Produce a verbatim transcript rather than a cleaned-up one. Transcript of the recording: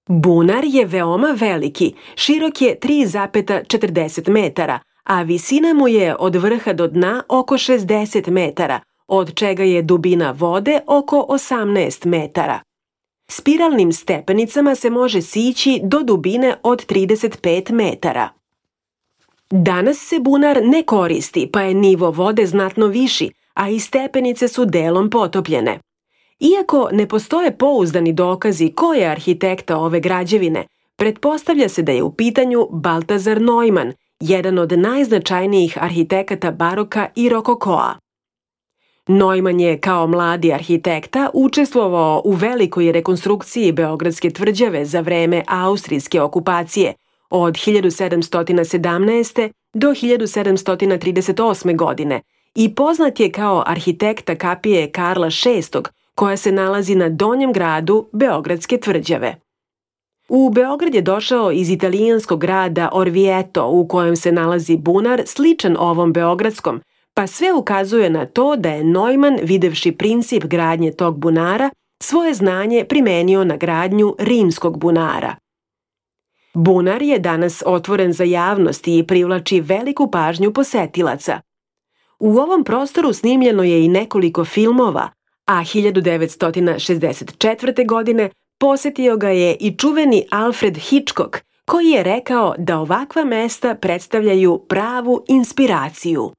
Bunar je veoma veliki, širok je tri zarez četrdeset metara, a visina mu je od vrha do dna oko šezdeset metara, od čega je dubina vode oko osamnaest metara. Spiralnim stepenicama se može sići do dubine od trideset pet metara. Danas se bunar ne koristi, pa je nivo vode znatno viši, a i stepenice su delom potopljene. Iako ne postoje pouzdani dokazi ko je arhitekta ove građevine, pretpostavlja se da je u pitanju Baltazar Neumann, jedan od najznačajnijih arhitekata baroka i rokokoa. Neumann je kao mladi arhitekta učestvovao u velikoj rekonstrukciji Beogradske tvrđave za vreme austrijske okupacije od hiljadu sedamsto sedamnaeste. do hiljadu sedamsto trideset osme. godine i poznat je kao arhitekta kapije Karla šestog, koja se nalazi na donjem gradu Beogradske tvrđave. U Beograd je došao iz italijanskog grada Orvieto, u kojem se nalazi bunar sličan ovom beogradskom, pa sve ukazuje na to da je Neumann, videvši princip gradnje tog bunara, svoje znanje primenio na gradnju rimskog bunara. Bunar je danas otvoren za javnost i privlači veliku pažnju posetilaca. U ovom prostoru snimljeno je i nekoliko filmova, a hiljadu devetsto šezdeset četvrte. godine posetio ga je i čuveni Alfred Hitchcock, koji je rekao da ovakva mesta predstavljaju pravu inspiraciju.